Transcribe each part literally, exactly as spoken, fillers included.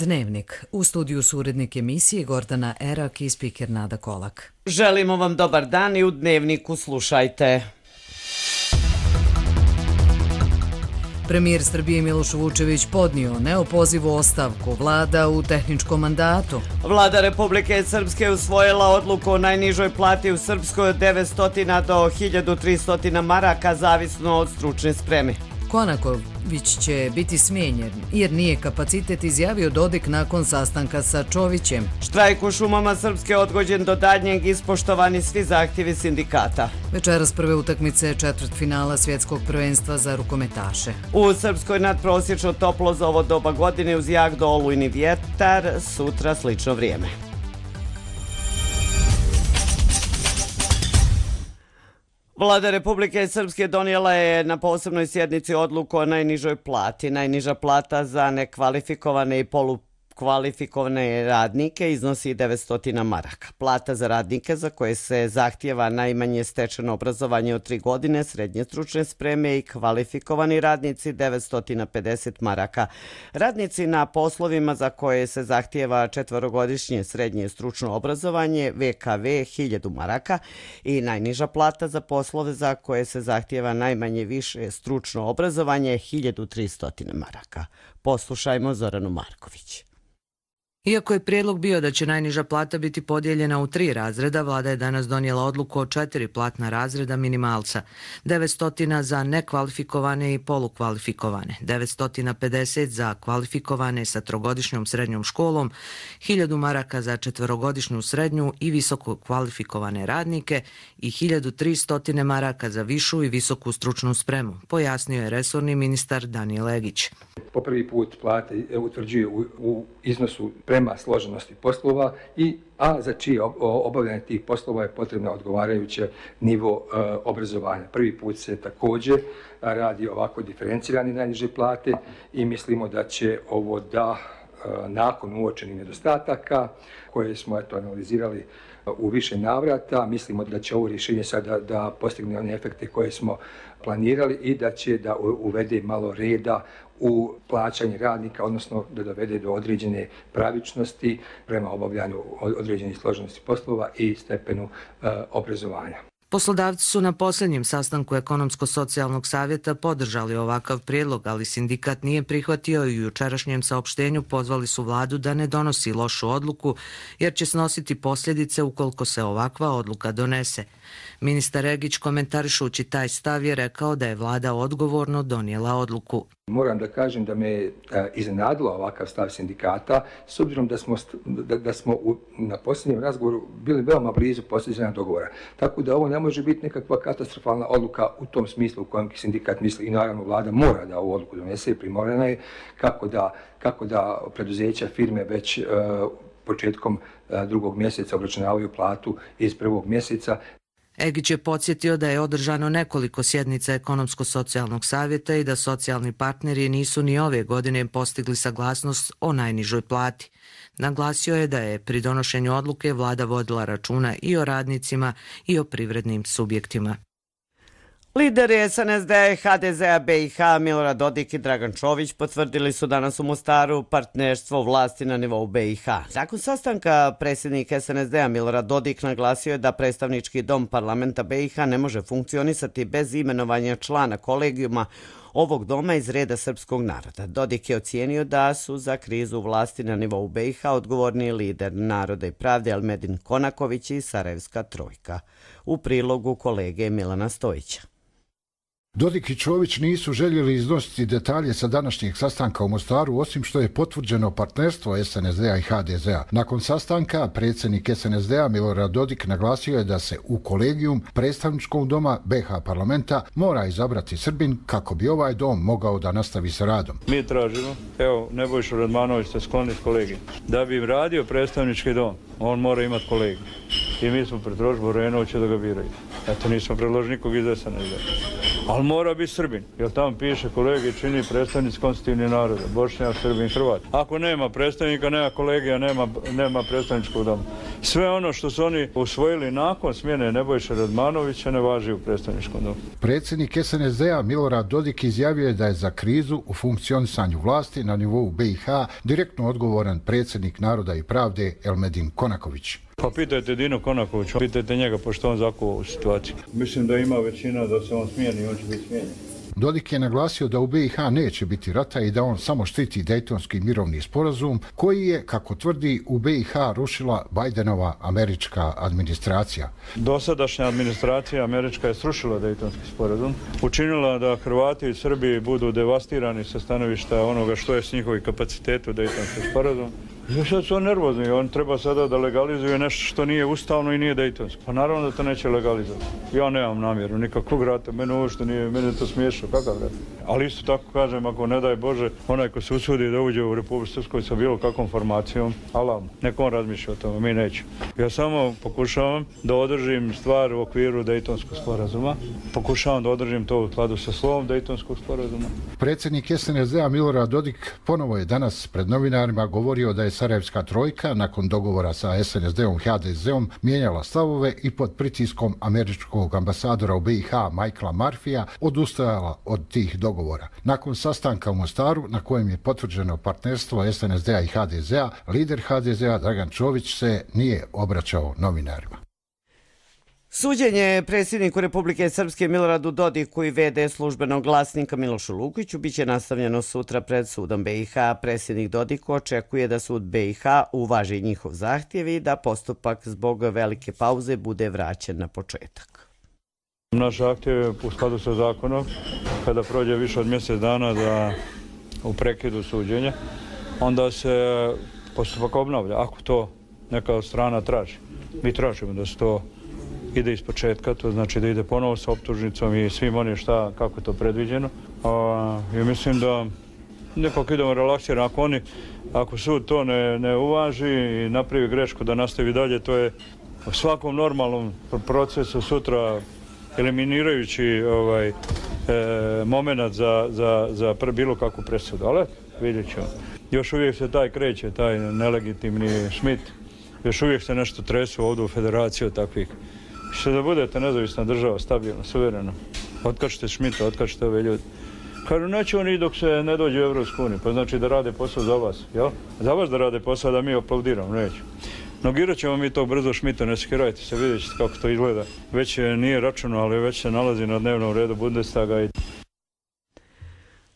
Dnevnik. U studiju su urednik emisije Gordana Erak i spiker Nada Kolak. Želimo vam dobar dan i u Dnevniku slušajte. Premijer Srbije Miloš Vučević podnio neopozivu ostavku, vlada u tehničkom mandatu. Vlada Republike Srpske usvojila odluku o najnižoj plati u Srpskoj od devetsto do hiljadu tristo maraka, zavisno od stručne spreme. Konaković će biti smijenjen jer nije kapacitet, izjavio Dodik nakon sastanka sa Čovićem. Štrajk u šumama Srpske odgođen do daljnjeg, ispoštovani svi zahtjevi sindikata. Večeras prve utakmice četvrtfinala svjetskog prvenstva za rukometaše. U Srpskoj nadprosječno toplo za ovo doba godine uz jak do olujni vjetar, sutra slično vrijeme. Vlada Republike Srpske donijela je na posebnoj sjednici odluku o najnižoj plati. Najniža plata za nekvalifikovane i polukvalifikovane radnike iznosi devetsto maraka. Plata za radnike za koje se zahtijeva najmanje stečeno obrazovanje od tri godine, srednje stručne spreme i kvalifikovani radnici devetsto pedeset maraka. Radnici na poslovima za koje se zahtijeva četverogodišnje srednje stručno obrazovanje V K V hiljadu maraka i najniža plata za poslove za koje se zahtijeva najmanje više stručno obrazovanje hiljadu tristo maraka. Poslušajmo Zoranu Marković. Iako je prijedlog bio da će najniža plata biti podijeljena u tri razreda, vlada je danas donijela odluku o četiri platna razreda minimalca. devetsto za nekvalifikovane i polukvalifikovane, devetsto pedeset za kvalifikovane sa trogodišnjom srednjom školom, hiljadu maraka za četverogodišnju srednju i visoko kvalifikovane radnike i hiljadu tristo maraka za višu i visoku stručnu spremu, pojasnio je resorni ministar Danijel Legić. Po prvi put plate utvrđuju u, u iznosu prema složenosti poslova, i, a za čije obavljanje tih poslova je potrebno odgovarajuće nivo e, obrazovanja. Prvi put se također radi ovako diferencirani najniže plate i mislimo da će ovo da e, nakon uočenih nedostataka koje smo eto analizirali u više navrata, mislimo da će ovo rješenje sada da postigne one efekte koje smo planirali i da će da uvede malo reda u plaćanje radnika, odnosno da dovede do određene pravičnosti prema obavljanju određenih složenosti poslova i stepenu e, obrazovanja. Poslodavci su na posljednjem sastanku Ekonomsko-socijalnog savjeta podržali ovakav prijedlog, ali sindikat nije prihvatio i u jučerašnjem saopštenju pozvali su vladu da ne donosi lošu odluku jer će snositi posljedice ukoliko se ovakva odluka donese. Ministar Regić, komentarišući taj stav, je rekao da je vlada odgovorno donijela odluku. Moram da kažem da me je iznenadila ovakav stav sindikata, s obzirom da smo, da, da smo u, na posljednjem razgovoru bili veoma blizu postizanja dogovora. Tako da ovo ne može biti nekakva katastrofalna odluka u tom smislu u kojem sindikat misli, i naravno vlada mora da ovu odluku donese i primorana je kako da, kako da preduzeća, firme već uh, početkom uh, drugog mjeseca obračunavaju platu iz prvog mjeseca. Egić je podsjetio da je održano nekoliko sjednica Ekonomsko-socijalnog savjeta i da socijalni partneri nisu ni ove godine postigli saglasnost o najnižoj plati. Naglasio je da je pri donošenju odluke vlada vodila računa i o radnicima i o privrednim subjektima. Lideri S N S D, H D Z-a B i H, Milorad Dodik i Dragan Čović potvrdili su danas u Mostaru partnerstvo vlasti na nivou B i H. Nakon sastanka predsjednik S N S D-a Milorad Dodik naglasio je da predstavnički dom parlamenta B i H ne može funkcionisati bez imenovanja člana kolegijuma ovog doma iz reda srpskog naroda. Dodik je ocijenio da su za krizu vlasti na nivou B i H odgovorni lider Naroda i pravde Elmedin Konaković i Sarajevska trojka. U prilogu kolege Milana Stojića. Dodik i Čović nisu željeli iznositi detalje sa današnjeg sastanka u Mostaru, osim što je potvrđeno partnerstvo S N S D-a i H D Z-a. Nakon sastanka, predsjednik S N S D-a Milorad Dodik naglasio je da se u kolegijum predstavničkog doma B H parlamenta mora izabrati Srbin kako bi ovaj dom mogao da nastavi sa radom. Mi tražimo, evo Nebojša Radmanović se skloni s kolegijom, da bi im radio predstavnički dom, on mora imati kolegiju. I mi smo predložili Borenovića da ga biraju. Eto, nismo predložili nikog iz S N S D-a. Ali mora biti Srbin, jer tamo piše kolegi čini predstavnici konstitutivnih naroda, Bošnjak, Srbin, Hrvat. Ako nema predstavnika, nema kolegija, nema, nema predstavničkog doma. Sve ono što su oni usvojili nakon smjene Nebojše Radmanovića ne važi u predstavničkom domu. Predsjednik es en es de-a Milorad Dodik izjavio je da je za krizu u funkcionisanju vlasti na nivou be i ha direktno odgovoran predsjednik Naroda i pravde Elmedin Konaković. Pa pitajte Dino Konakovića, pitajte njega pošto on zakuva u situaciju. Mislim da ima većina da se on smijeni, on će biti smijenjen. Dodik je naglasio da u be i ha neće biti rata i da on samo štiti Dejtonski mirovni sporazum koji je, kako tvrdi, u be i ha rušila Bajdenova američka administracija. Dosadašnja administracija američka je srušila Dejtonski sporazum, učinila da Hrvati i Srbi budu devastirani sa stanovišta onoga što je s njihovih kapaciteta u Dejtonskom sporazumu. I sad su on nervozni, on treba sada da legalizuje nešto što nije ustavno i nije dejtonsko. Pa naravno da to neće legalizovati. Ja nemam namjeru nikakvog rata, mene ovo što nije, mene to smiješno, kakav rat. Ali isto tako kažem, ako ne daj Bože, onaj ko se usudi da uđe u Republiku Srpskoj sa bilo kakvom formacijom, alam, neko on razmišlja o tome, mi nećemo. Ja samo pokušavam da održim stvar u okviru Dejtonskog sporazuma, pokušavam da održim to u skladu sa slovom Dejtonskog sporazuma. Predsjednik es en es de-a Milorad Dodik ponovo je danas pred novinarima govorio da je Sarajevska trojka nakon dogovora sa es en es de-om i ha de ze-om mijenjala stavove i pod pritiskom američkog ambasadora u be i ha Michaela Murphyja odustajala od tih dogovora. Nakon sastanka u Mostaru na kojem je potvrđeno partnerstvo es en es de-a i ha de ze-a, lider ha de ze-a Dragan Čović se nije obraćao novinarima. Suđenje predsjedniku Republike Srpske Miloradu Dodiku i ve de službenog glasnika Milošu Lukiću biće nastavljeno sutra pred sudom be i ha. Predsjednik Dodik očekuje da sud be i ha uvaži njihov zahtjev i da postupak zbog velike pauze bude vraćen na početak. Naš zahtjev je u skladu sa zakonom, kada prođe više od mjesec dana da u prekidu suđenja, onda se postupak obnavlja, ako to neka strana traži. Mi tražimo da se to ide iz početka, to znači da ide ponovo sa optužnicom i svim onim šta, kako je to predviđeno. A, i mislim da nekako idemo relaksirano. Ako oni, ako sud to ne, ne uvaži i napravi grešku da nastavi dalje, to je u svakom normalnom procesu sutra eliminirajući ovaj, e, moment za, za, za bilo kakvu presudu. Ali vidjet ćemo. Još uvijek se taj kreće, taj nelegitimni Schmidt. Još uvijek se nešto tresu ovdje u federaciji od takvih. Što da budete nezavisna država, stabilna, suverena. Otkačite Schmidta, otkačite ove ljudi. Kažu, neće oni dok se ne dođe u Evropsku uniju, pa znači da rade posao za vas, jel? Za vas da rade posao, da mi aplaudiramo, neću. Nogirat ćemo mi to brzo Schmidta, ne skirajte se, vidjet ćete kako to izgleda. Već nije računo, ali već se nalazi na dnevnom redu Bundestaga i...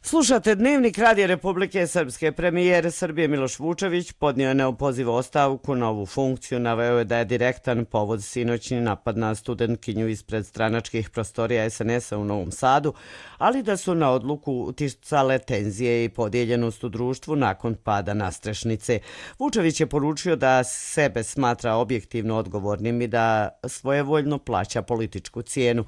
Slušate Dnevnik Radija Republike Srpske. Premijer Srbije Miloš Vučević podnio je neopozivu ostavku na ovu funkciju. Naveo je da je direktan povod sinoćni napad na studentkinju ispred stranačkih prostorija es en es-a u Novom Sadu, ali da su na odluku uticale tenzije i podijeljenost u društvu nakon pada nastrešnice. Vučević je poručio da sebe smatra objektivno odgovornim i da svojevoljno plaća političku cijenu.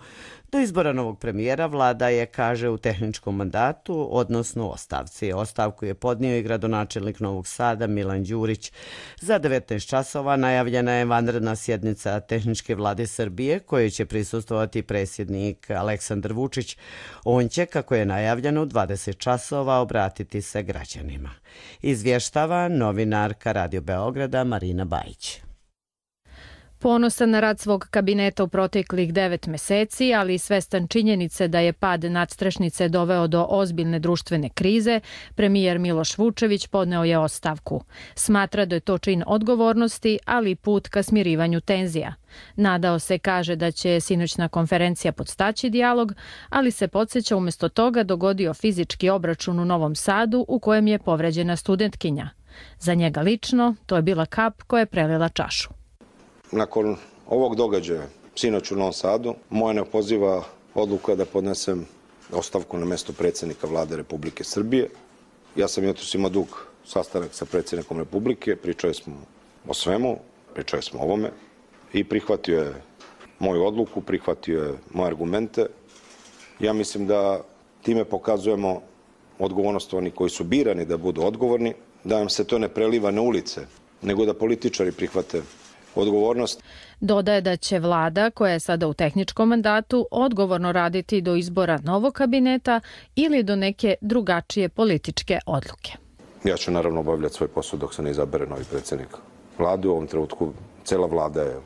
Do izbora novog premijera vlada je, kaže, u tehničkom mandatu, odnosno ostavci. Ostavku je podnio i gradonačelnik Novog Sada Milan Đurić. Za devetnaest časova najavljena je vanredna sjednica tehničke vlade Srbije, kojoj će prisustvovati predsjednik Aleksandar Vučić. On će, kako je najavljeno, u dvadeset časova obratiti se građanima. Izvještava novinarka Radio Beograda Marina Bajić. Ponosan na rad svog kabineta u proteklih devet meseci, ali i svestan činjenice da je pad nadstrešnice doveo do ozbiljne društvene krize, premijer Miloš Vučević podneo je ostavku. Smatra da je to čin odgovornosti, ali i put ka smirivanju tenzija. Nadao se, kaže, da će sinoćna konferencija podstaći dijalog, ali se podsjeća umjesto toga dogodio fizički obračun u Novom Sadu u kojem je povređena studentkinja. Za njega lično to je bila kap koja je prelila čašu. Nakon ovog događaja, sinoć u Novom Sadu, moja neopoziva odluka da podnesem ostavku na mjesto predsjednika vlade Republike Srbije. Ja sam jutros imao dug sastanak sa predsjednikom Republike, pričali smo o svemu, pričali smo o ovome i prihvatio je moju odluku, prihvatio je moje argumente. Ja mislim da time pokazujemo odgovornost onih koji su birani da budu odgovorni, da nam se to ne preliva na ulice, nego da političari prihvate odgovornost. Dodaje da će vlada, koja je sada u tehničkom mandatu, odgovorno raditi do izbora novog kabineta ili do neke drugačije političke odluke. Ja ću naravno obavljati svoj posao dok se ne izabere novi predsjednik vlade. U ovom trenutku cela vlada je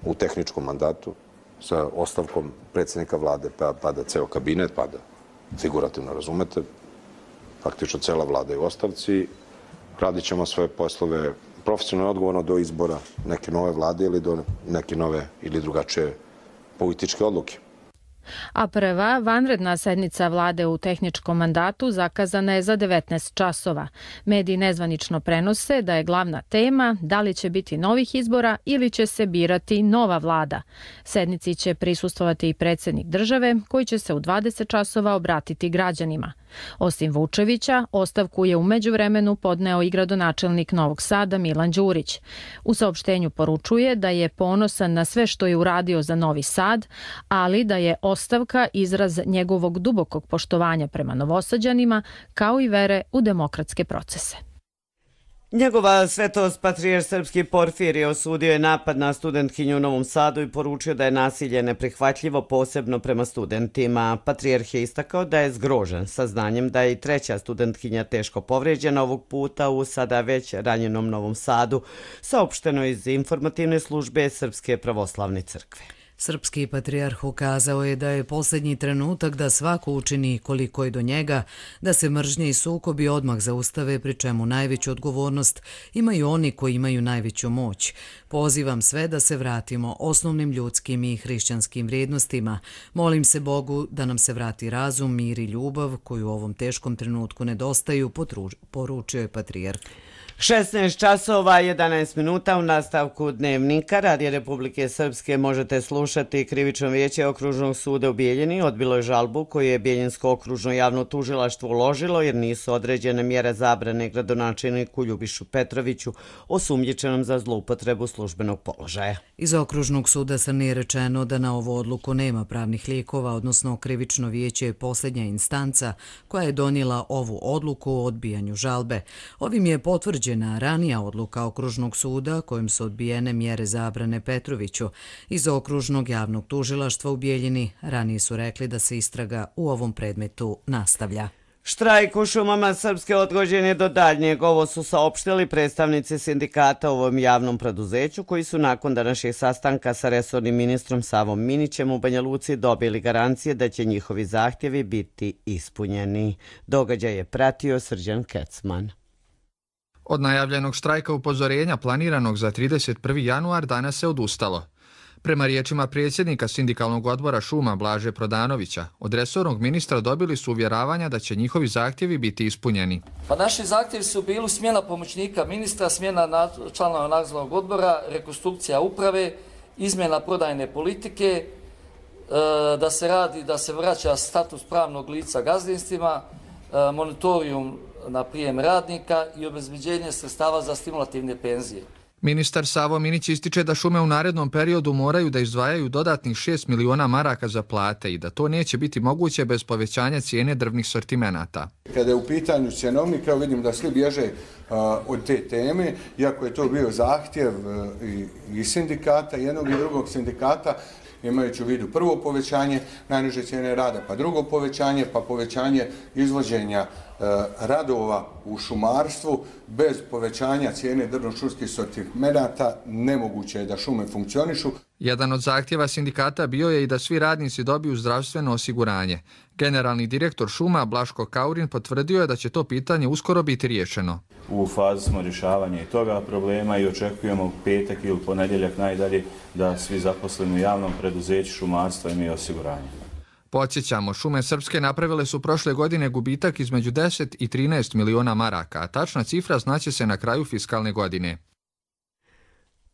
u tehničkom mandatu, sa ostavkom predsjednika vlade, pa pada ceo kabinet, pada, figurativno razumete, faktično cela vlada je u ostavci, radit ćemo svoje poslove profesionalno odgovorno do izbora neke nove vlade ili do neke nove ili drugačije političke odluke. A prva vanredna sednica vlade u tehničkom mandatu zakazana je za devetnaest časova. Mediji nezvanično prenose da je glavna tema da li će biti novih izbora ili će se birati nova vlada. Sednici će prisustvovati i predsjednik države koji će se u dvadeset časova obratiti građanima. Osim Vučevića, ostavku je u međuvremenu podneo i gradonačelnik Novog Sada Milan Đurić. U saopštenju poručuje da je ponosan na sve što je uradio za Novi Sad, ali da je ostavka izraz njegovog dubokog poštovanja prema Novosađanima, kao i vere u demokratske procese. Njegova svetost patrijarh srpski Porfirije osudio je napad na studentkinju u Novom Sadu i poručio da je nasilje neprihvatljivo, posebno prema studentima. Patrijarh je istakao da je zgrožen saznanjem da je i treća studentkinja teško povrijeđena ovog puta u sada već ranjenom Novom Sadu, saopšteno iz informativne službe Srpske pravoslavne crkve. Srpski patrijarh ukazao je da je posljednji trenutak da svako učini koliko je do njega, da se mržnje i sukobi odmah zaustave, pri čemu najveću odgovornost imaju oni koji imaju najveću moć. Pozivam sve da se vratimo osnovnim ljudskim i hrišćanskim vrijednostima. Molim se Bogu da nam se vrati razum, mir i ljubav koju u ovom teškom trenutku nedostaju, poručio je patrijarh. šesnaest časova jedanaest minuta u nastavku Dnevnika Radija Republike Srpske možete slušati. Krivično vijeće Okružnog suda u Bijeljini odbilo je žalbu koju je Bijeljinsko okružno javno tužilaštvo uložilo jer nisu određene mjere zabrane gradonačelniku Ljubišu Petroviću osumnjičenom za zloupotrebu službenog položaja. Iz Okružnog suda Srne je rečeno da na ovu odluku nema pravnih lijekova, odnosno Krivično vijeće je posljednja instanca koja je donijela ovu odluku o odbijanju žalbe. Ovim je potvrđeno ranija odluka Okružnog suda kojim su odbijene mjere zabrane Petroviću. Iz Okružnog javnog tužilaštva u Bijeljini ranije su rekli da se istraga u ovom predmetu nastavlja. Štrajk u šumama Srpske odgođen je do daljnjeg. Ovo su saopštili predstavnici sindikata u ovom javnom preduzeću koji su nakon današnjeg sastanka sa resornim ministrom Savom Minićem u Banja Luci dobili garancije da će njihovi zahtjevi biti ispunjeni. Događaj je pratio Srđan Kecman. Od najavljenog štrajka upozorenja planiranog za trideset prvi januar danas se odustalo. Prema riječima predsjednika sindikalnog odbora šuma Blaže Prodanovića, od resornog ministra dobili su uvjeravanja da će njihovi zahtjevi biti ispunjeni. Pa naši zahtjevi su bili smjena pomoćnika ministra, smjena članova nadzornog odbora, rekonstrukcija uprave, izmjena prodajne politike, da se radi, da se vraća status pravnog lica gazdinstvima, monitorijum na prijem radnika i obezbeđenje sredstava za stimulativne penzije. Ministar Savo Minić ističe da šume u narednom periodu moraju da izdvajaju dodatnih šest miliona maraka za plate i da to neće biti moguće bez povećanja cijene drvnih sortimenata. Kada je u pitanju cjenovnik, evo vidim da svi bježe uh, od te teme, iako je to bio zahtjev uh, i, i sindikata, jednog i drugog sindikata, imajući u vidu prvo povećanje najniže cijene rada, pa drugo povećanje, pa povećanje izvođenja e, radova u šumarstvu, bez povećanja cijene drvno-šumskih sortimenata nemoguće je da šume funkcionišu. Jedan od zahtjeva sindikata bio je i da svi radnici dobiju zdravstveno osiguranje. Generalni direktor šuma Blaško Kaurin potvrdio je da će to pitanje uskoro biti riješeno. U fazi smo rješavanja i toga problema i očekujemo u petak ili ponedjeljak najdalje da svi zaposleni u javnom preduzeću šumarstva imaju osiguranje. Podsjećamo, šume Srpske napravile su prošle godine gubitak između deset i trinaest miliona maraka, a tačna cifra znaće se na kraju fiskalne godine.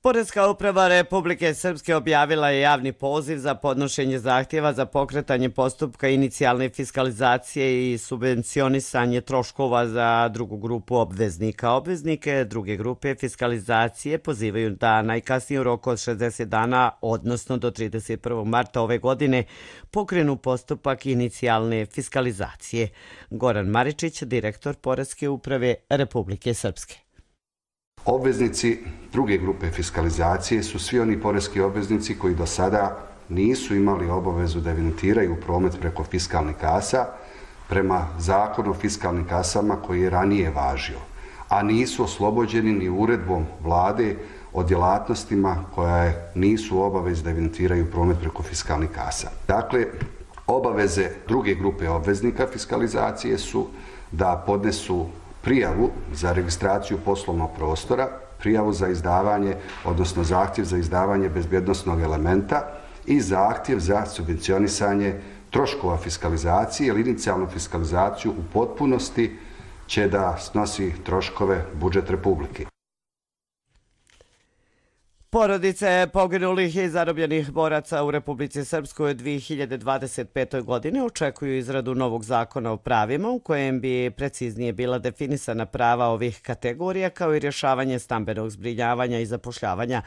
Poreska uprava Republike Srpske objavila je javni poziv za podnošenje zahtjeva za pokretanje postupka inicijalne fiskalizacije i subvencionisanje troškova za drugu grupu obveznika. Obveznike druge grupe fiskalizacije pozivaju da najkasnije u roku od šezdeset dana, odnosno do trideset prvog marta ove godine, pokrenu postupak inicijalne fiskalizacije. Goran Maričić, direktor Poreske uprave Republike Srpske. Obveznici druge grupe fiskalizacije su svi oni poreski obveznici koji do sada nisu imali obavezu da evidentiraju promet preko fiskalnih kasa prema zakonu o fiskalnim kasama koji je ranije važio, a nisu oslobođeni ni uredbom vlade o djelatnostima koja nisu u obavezi da evidentiraju promet preko fiskalnih kasa. Dakle, obaveze druge grupe obveznika fiskalizacije su da podnesu prijavu za registraciju poslovnog prostora, prijavu za izdavanje, odnosno zahtjev za izdavanje bezbjednosnog elementa i zahtjev za subvencionisanje troškova fiskalizacije ili inicijalnu fiskalizaciju u potpunosti će da snosi troškove budžet Republike. Porodice poginulih i zarobljenih boraca u Republici Srpskoj u dvije hiljade dvadeset petoj. godine očekuju izradu novog zakona o pravima u kojem bi preciznije bila definisana prava ovih kategorija kao i rješavanje stambenog zbrinjavanja i zapošljavanja.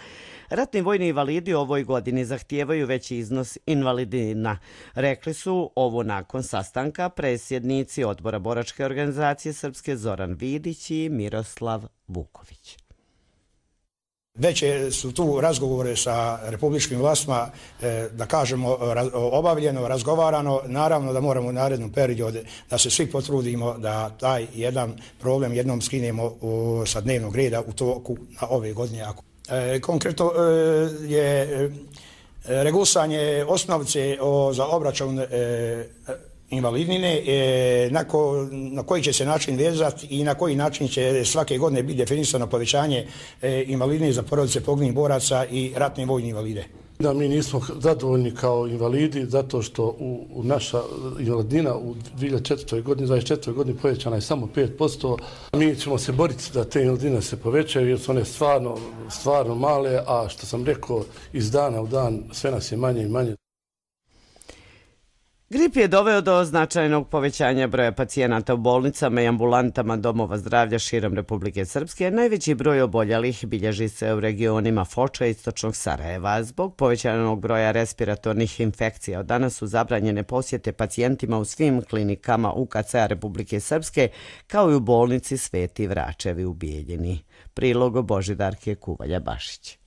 Ratni vojni invalidi u ovoj godini zahtijevaju veći iznos invalidina. Rekli su ovo nakon sastanka predsjednici Odbora boračke organizacije Srpske Zoran Vidić i Miroslav Vuković. Već su tu razgovore sa republičkim vlastima, da kažemo, obavljeno, razgovarano. Naravno da moramo u narednom periodu da se svi potrudimo da taj jedan problem jednom skinemo sa dnevnog reda u toku na ove godine. Konkretno je regulisanje osnovice za obračun invalidnine, na, ko, na koji će se način vezati i na koji način će svake godine biti definisano povećanje invalidnine za porodice poginulih boraca i ratne vojne invalide. Da mi nismo zadovoljni kao invalidi zato što u, u naša invalidnina u dvije hiljade četvrtoj. godini, dvadeset četvrtoj. godini povećana je samo pet posto. Mi ćemo se boriti da te invalidine se povećaju jer su one stvarno, stvarno male, a što sam rekao iz dana u dan sve nas je manje i manje. Grip je doveo do značajnog povećanja broja pacijenata u bolnicama i ambulantama domova zdravlja širom Republike Srpske. Najveći broj oboljelih bilježi se u regionima Foča i istočnog Sarajeva. Zbog povećanog broja respiratornih infekcija od danas su zabranjene posjete pacijentima u svim klinikama U K C-a Republike Srpske, kao i u bolnici Sveti Vračevi u Bijeljini. Prilog Božidarke Kuvalja-Bašić.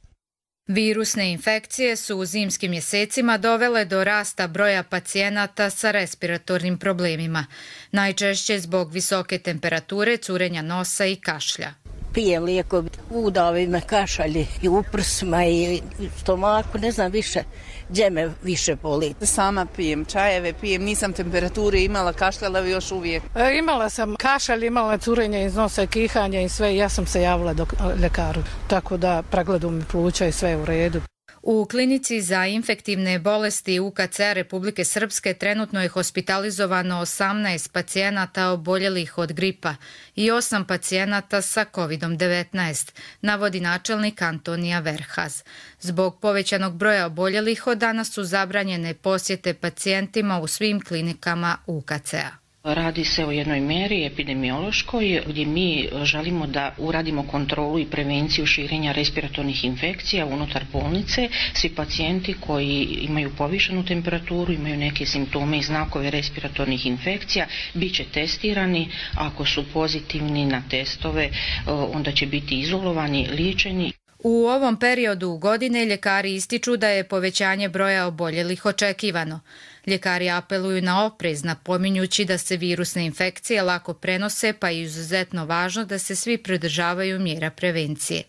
Virusne infekcije su u zimskim mjesecima dovele do rasta broja pacijenata sa respiratornim problemima, najčešće zbog visoke temperature, curenja nosa i kašlja. Pijem lijekove, udavi me kašalji i u prsima i stomaku, ne znam više gdje me više boli. Sama pijem čajeve, pijem, nisam temperature imala, kašljala još uvijek. E, imala sam kašalj, imala curenje iz nosa, kihanje i sve, ja sam se javila do ljekaru, tako da pregledu mi pluća i sve u redu. U klinici za infektivne bolesti U K C Republike Srpske trenutno je hospitalizovano osamnaest pacijenata oboljelih od gripa i osam pacijenata sa kovid devetnaest, navodi načelnik Antonija Verhaz. Zbog povećanog broja oboljelih od danas su zabranjene posjete pacijentima u svim klinikama U K C-a. Radi se o jednoj mjeri epidemiološkoj gdje mi želimo da uradimo kontrolu i prevenciju širenja respiratornih infekcija unutar bolnice. Svi pacijenti koji imaju povišenu temperaturu, imaju neke simptome i znakove respiratornih infekcija, bit će testirani. Ako su pozitivni na testove, onda će biti izolovani, liječeni. U ovom periodu godine ljekari ističu da je povećanje broja oboljelih očekivano. Ljekari apeluju na oprez, napominjući da se virusne infekcije lako prenose, pa je izuzetno važno da se svi pridržavaju mjera prevencije.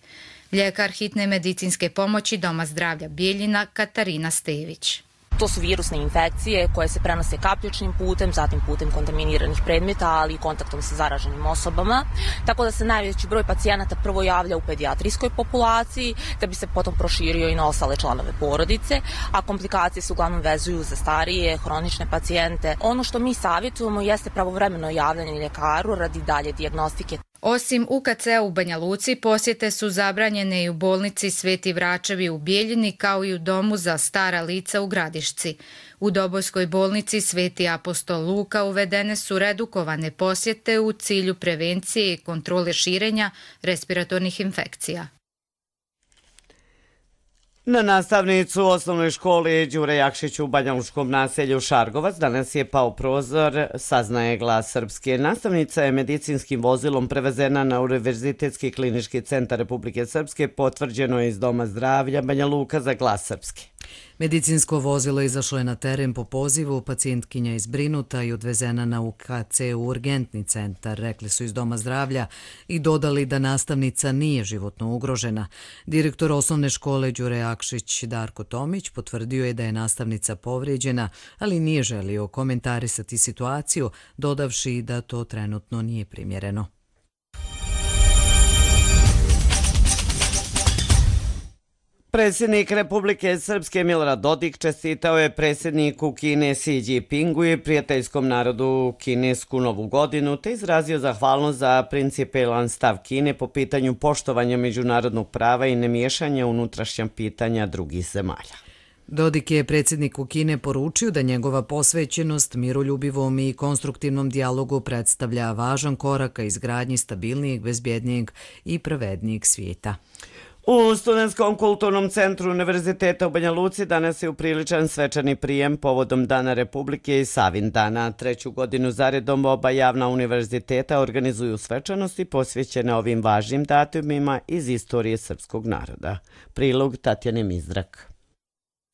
Ljekar hitne medicinske pomoći Doma zdravlja Bijeljina Katarina Stević. To su virusne infekcije koje se prenose kapljičnim putem, zatim putem kontaminiranih predmeta, ali i kontaktom sa zaraženim osobama. Tako da se najveći broj pacijenata prvo javlja u pedijatrijskoj populaciji, da bi se potom proširio i na ostale članove porodice, a komplikacije se uglavnom vezuju za starije, hronične pacijente. Ono što mi savjetujemo jeste pravovremeno javljanje ljekaru radi dalje dijagnostike. Osim U K C-a u Banja Luci, posjete su zabranjene i u bolnici Sveti Vračevi u Bijeljini, kao i u domu za stara lica u Gradišci. U Dobojskoj bolnici Sveti Apostol Luka uvedene su redukovane posjete u cilju prevencije i kontrole širenja respiratornih infekcija. Na nastavnicu u osnovnoj školi Đure Jakšić u Banjalučkom naselju Šargovac danas je pao prozor, saznaje Glas Srpske. Nastavnica je medicinskim vozilom prevezena na Univerzitetski klinički centar Republike Srpske, potvrđeno je iz Doma zdravlja Banja Luka za Glas Srpske. Medicinsko vozilo izašlo je na teren po pozivu, pacijentkinja izbrinuta i odvezena na U K C u urgentni centar, rekli su iz Doma zdravlja i dodali da nastavnica nije životno ugrožena. Direktor osnovne škole Đure Akšić Darko Tomić potvrdio je da je nastavnica povrijeđena, ali nije želio komentarisati situaciju, dodavši da to trenutno nije primjereno. Predsjednik Republike Srpske Milorad Dodik čestitao je predsjedniku Kine Xi Jinpingu i prijateljskom narodu kinesku novu godinu te izrazio zahvalnost za principijelan stav Kine po pitanju poštovanja međunarodnog prava i nemiješanja unutrašnja pitanja drugih zemalja. Dodik je predsjedniku Kine poručio da njegova posvećenost miroljubivom i konstruktivnom dijalogu predstavlja važan korak ka izgradnji stabilnijeg, bezbjednijeg i pravednijeg svijeta. U Studentskom kulturnom centru Univerziteta u Banja Luci danas je upriličan svečani prijem povodom Dana Republike i Savin dana. Treću godinu zaredom oba javna univerziteta organizuju svečanosti posvećene ovim važnim datumima iz istorije srpskog naroda. Prilog Tatjane Mizdrak.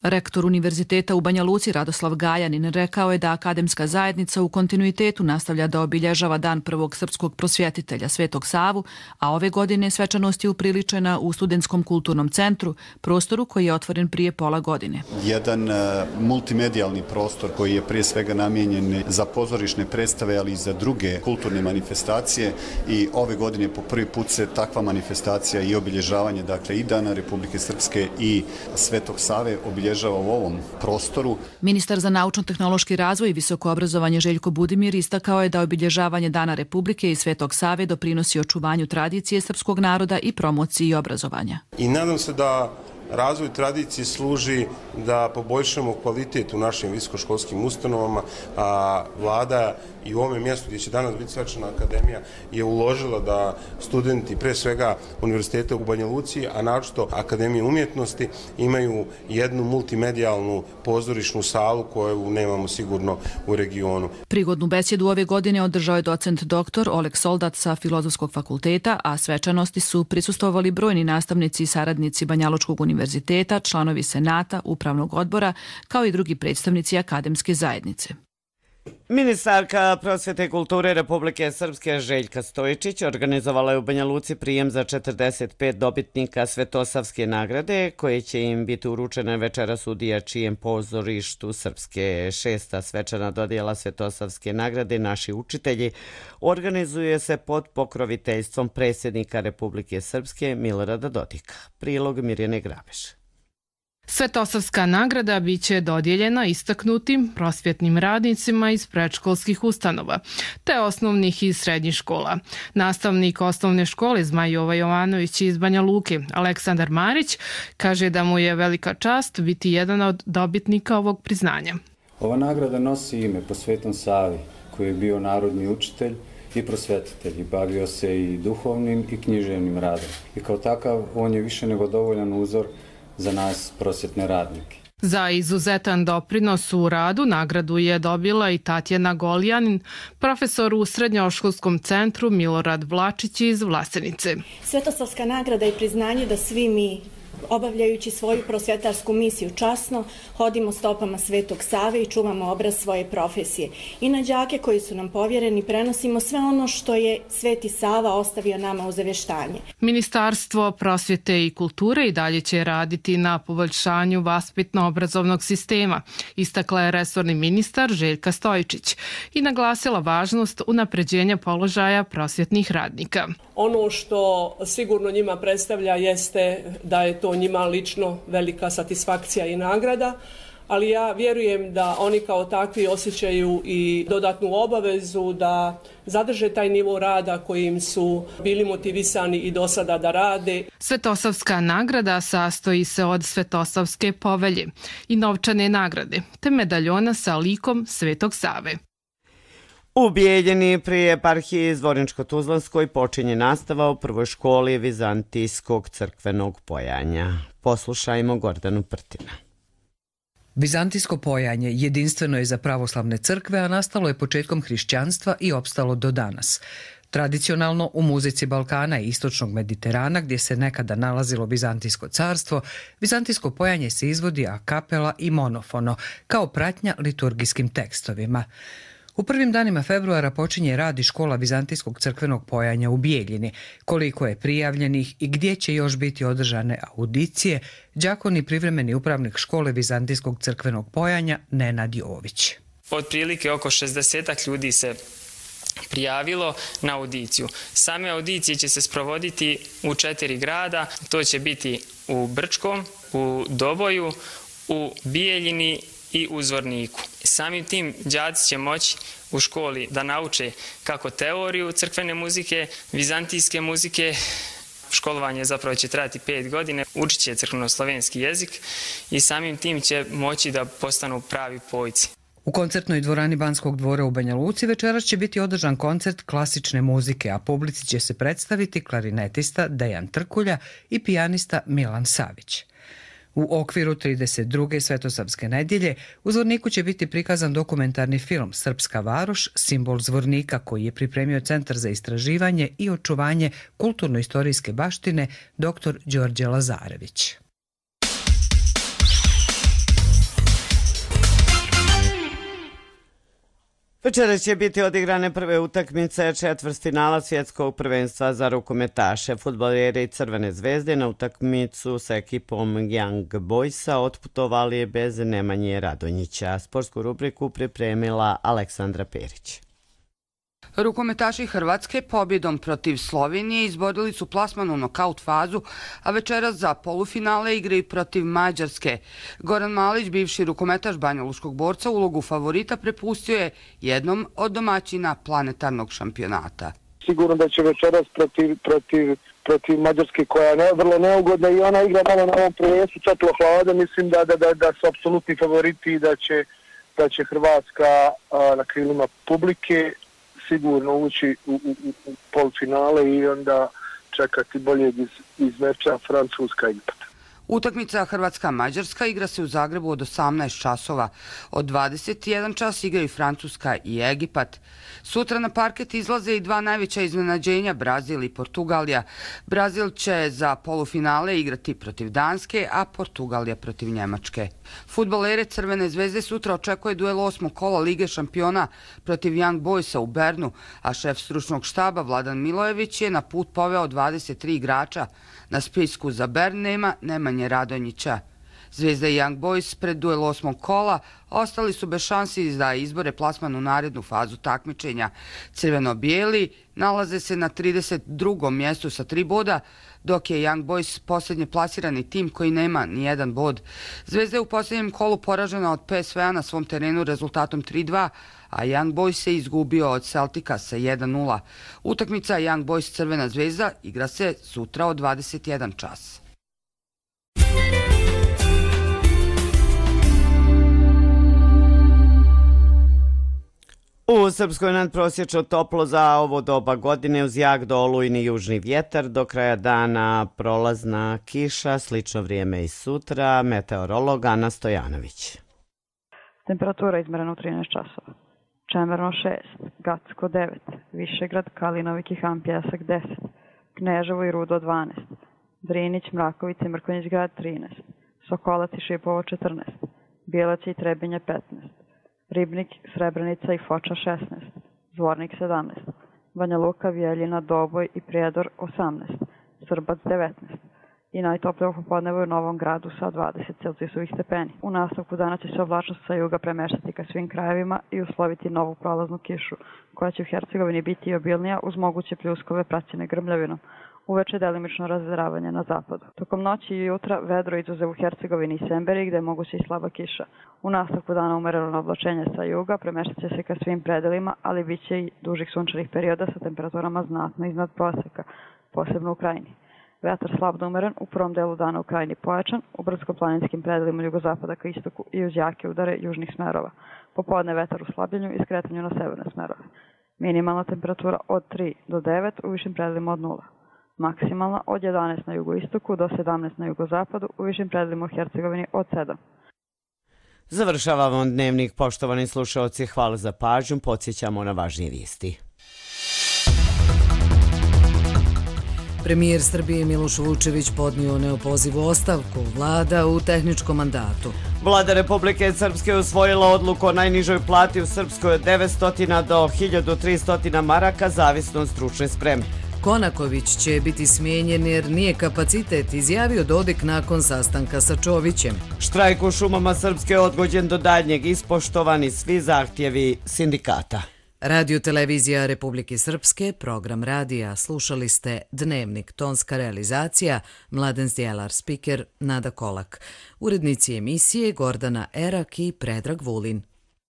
Rektor Univerziteta u Banja Luci Radoslav Gajanin rekao je da akademska zajednica u kontinuitetu nastavlja da obilježava dan prvog srpskog prosvjetitelja Svetog Savu, a ove godine svečanost je upriličena u Studentskom kulturnom centru, prostoru koji je otvoren prije pola godine. Jedan uh, multimedijalni prostor koji je prije svega namijenjen za pozorišne predstave, ali i za druge kulturne manifestacije i ove godine po prvi put se takva manifestacija i obilježavanje, dakle i Dana Republike Srpske i Svetog Save obilježava u ovom prostoru. Ministar za naučno-tehnološki razvoj i visoko obrazovanje Željko Budimir istakao je da obilježavanje Dana Republike i Svetog Save doprinosi očuvanju tradicije srpskog naroda i promociji obrazovanja. I nadam se da razvoj tradicije služi da poboljšamo kvalitet u našim visokoškolskim ustanovama, a vlada i u ovome mjestu gdje će danas biti svečana akademija je uložila da studenti, pre svega univerziteta u Banja Luci, a naročito Akademije umjetnosti, imaju jednu multimedijalnu pozorišnu salu koju nemamo sigurno u regionu. Prigodnu besjedu ove godine održao je docent doktor Oleg Soldat sa Filozofskog fakulteta, a svečanosti su prisustvovali brojni nastavnici i saradnici Banjalučkog univerziteta, članovi senata, upravnog odbora, kao i drugi predstavnici akademske zajednice. Ministarka prosvjete i kulture Republike Srpske Željka Stojičić organizovala je u Banja Luci prijem za četrdeset pet dobitnika Svetosavske nagrade, koje će im biti uručene večeras u Dijačijem pozorištu Srpske. Šesta svečana dodjela Svetosavske nagrade Naši učitelji organizuje se pod pokroviteljstvom predsjednika Republike Srpske Milorada Dodika. Prilog Mirjane Grabeš. Svetosavska nagrada biće dodijeljena istaknutim prosvjetnim radnicima iz predškolskih ustanova, te osnovnih i srednjih škola. Nastavnik osnovne škole Zmajova Jovanović iz Banja Luke, Aleksandar Marić, kaže da mu je velika čast biti jedan od dobitnika ovog priznanja. Ova nagrada nosi ime po Svetom Savi, koji je bio narodni učitelj i prosvjetitelj i bavio se i duhovnim i književnim radom. I kao takav on je više nego dovoljan uzor za nas prosvjetne radnike. Za izuzetan doprinos u radu nagradu je dobila i Tatjana Goljanin, profesor u Srednjoškolskom centru Milorad Vlačić iz Vlasenice. Svetosavska nagrada je priznanje da svi mi, obavljajući svoju prosvjetarsku misiju časno, hodimo stopama Svetog Save i čuvamo obraz svoje profesije. I na đake koji su nam povjereni prenosimo sve ono što je Sveti Sava ostavio nama u zaveštanje. Ministarstvo prosvjete i kulture i dalje će raditi na poboljšanju vaspitno-obrazovnog sistema, istakla je resorni ministar Željka Stojičić i naglasila važnost unapređenja položaja prosvjetnih radnika. Ono što sigurno njima predstavlja jeste da je to njima lično velika satisfakcija i nagrada, ali ja vjerujem da oni kao takvi osjećaju i dodatnu obavezu da zadrže taj nivo rada kojim su bili motivisani i do sada da rade. Svetosavska nagrada sastoji se od Svetosavske povelje i novčane nagrade, te medaljona sa likom Svetog Save. U Bijeljini pri eparhiji Zvorničko-Tuzlanskoj počinje nastava u prvoj školi Vizantijskog crkvenog pojanja. Poslušajmo Gordanu Prtina. Vizantijsko pojanje jedinstveno je za pravoslavne crkve, a nastalo je početkom hrišćanstva i opstalo do danas. Tradicionalno u muzici Balkana i istočnog Mediterana, gdje se nekada nalazilo Bizantijsko carstvo, vizantijsko pojanje se izvodi a kapela i monofono, kao pratnja liturgijskim tekstovima. U prvim danima februara počinje rad i škola vizantijskog crkvenog pojanja u Bijeljini. Koliko je prijavljenih i gdje će još biti održane audicije, đakon i privremeni upravnik škole vizantijskog crkvenog pojanja Nenad Jović. Otprilike oko šezdesetak ljudi se prijavilo na audiciju. Same audicije će se sprovoditi u četiri grada. To će biti u Brčkom, u Doboju, u Bijeljini i u Zvorniku. Samim tim đaci će moći u školi da nauče kako teoriju crkvene muzike, vizantijske muzike. Školovanje zapravo će trajati pet godine, učit će crkveno-slovenski jezik i samim tim će moći da postanu pravi pojci. U koncertnoj dvorani Banskog dvora u Banja Luci večeras će biti održan koncert klasične muzike, a publici će se predstaviti klarinetista Dejan Trkulja i pijanista Milan Savić. U okviru trideset druge Svetosavske nedjelje u Zvorniku će biti prikazan dokumentarni film Srpska varoš, simbol Zvornika, koji je pripremio Centar za istraživanje i očuvanje kulturno-istorijske baštine dr. Đorđe Lazarević. Večera će biti odigrane prve utakmice četvrtfinala svjetskog prvenstva za rukometaše. Fudbaleri Crvene zvezde na utakmicu sa ekipom Young Boysa otputovali bez Nemanje Radonjića. Sportsku rubriku pripremila Aleksandra Perić. Rukometaši Hrvatske pobjedom protiv Slovenije izborili su plasman u nokaut fazu, a večeras za polufinale igraju protiv Mađarske. Goran Malić, bivši rukometaš banjaluškog borca, ulogu favorita prepustio je jednom od domaćina planetarnog šampionata. Sigurno da će večeras protiv, protiv, protiv Mađarske, koja je ne, vrlo neugodna i ona igra malo na ovom prvenstvu toplo hlada. Mislim da, da, da, da su apsolutni favoriti i da će, da će Hrvatska a, na krilima publike sigurno ući u, u, u polufinale i onda čekati boljeg iz, iz meča Francuska-Egipat. Utakmica Hrvatska-Mađarska igra se u Zagrebu od osamnaest časova. Od dvadeset jedan čas igraju Francuska i Egipat. Sutra na parket izlaze i dva najveća iznenađenja, Brazil i Portugalija. Brazil će za polufinale igrati protiv Danske, a Portugalija protiv Njemačke. Fudbalere Crvene zvezde sutra očekuje duel osmog kola Lige šampiona protiv Young Boysa u Bernu, a šef stručnog štaba Vladan Milojević je na put poveo dvadeset tri igrača. Na spisku za Bern nema Nemanje Radonjića. Zvezda i Young Boys pred duel osmog kola ostali su bez šansi da izbore plasman u narednu fazu takmičenja. Crveno-bijeli nalaze se na trideset drugom mjestu sa tri boda, dok je Young Boys posljednje plasirani tim koji nema ni jedan bod. Zvezda je u posljednjem kolu poražena od P S V-a na svom terenu rezultatom tri dva, a Young Boys se izgubio od Celtica sa jedan nula. Utakmica Young Boys Crvena zvezda igra se sutra od dvadeset jedan čas. U Srpskoj nadprosječno toplo za ovo doba godine uz jak do olujni južni vjetar. Do kraja dana prolazna kiša, slično vrijeme i sutra. Meteorolog Ana Stojanović. Temperatura izmerena u trinaest časova. Čemerno šest, Gacko devet, Višegrad, Kalinovik i Hampjesak deset, Kneževo i Rudo dvanaest, Drinić, Mrakovica i Mrkonjić grad trinaest, Sokolac i Šipovo četrnaest, Bijelac i Trebinje petnaest, Ribnik, Srebrenica i Foča šesnaest, Zvornik sedamnaest, Banja Luka, Bijeljina, Doboj i Prijedor osamnaest, Srbac devetnaest i najtoplije popodnevo u Novom Gradu sa dvadeset celzijusovih stepeni. U nastavku dana će se oblačnost sa juga premeštati ka svim krajevima i usloviti novu prolaznu kišu, koja će u Hercegovini biti obilnija uz moguće pljuskove praćene grmljavinom. Uveče delimično razveravanje na zapadu. Tokom noći i jutra vedro izuzev u Hercegovini i Semberiji, gde je moguće i slaba kiša. U nastavku dana umereno oblačenje sa juga premeštat će se ka svim predelima, ali bit će i dužih sunčanih perioda sa temperaturama znatno iznad proseka, posebno u krajini. Vetar slab da umeren, u prvom delu dana u krajini pojačan, u brdsko-planinskim predelima jugozapada ka istoku i uz jake udare južnih smerova. Popodne vetar u slabljenju i skretanju na severne smerove. Minimalna temperatura od tri do devet, u višim predelima od nula. Maksimalna od jedanaest na jugoistoku do sedamnaest na jugozapadu, u višim predelima u Hercegovini od sedam. Završavamo dnevnik, poštovani slušalci, hvala za pažnju, podsjećamo na važnije vijesti. Premijer Srbije Miloš Vučević podnio neopozivu ostavku, vlada u tehničkom mandatu. Vlada Republike Srpske usvojila odluku o najnižoj plati u Srpskoj od devetsto do hiljadu tristo maraka, zavisno od stručne spreme. Konaković će biti smijenjen jer nije kapacitet, izjavio Dodik nakon sastanka sa Čovićem. Štrajk u šumama Srpske je odgođen do daljnjeg, ispoštovani svi zahtjevi sindikata. Radio televizija Republike Srpske, program radija, slušali ste Dnevnik, tonska realizacija, Mladen Zdjelar, spiker Nada Kolak. Urednici emisije Gordana Erak i Predrag Vulin.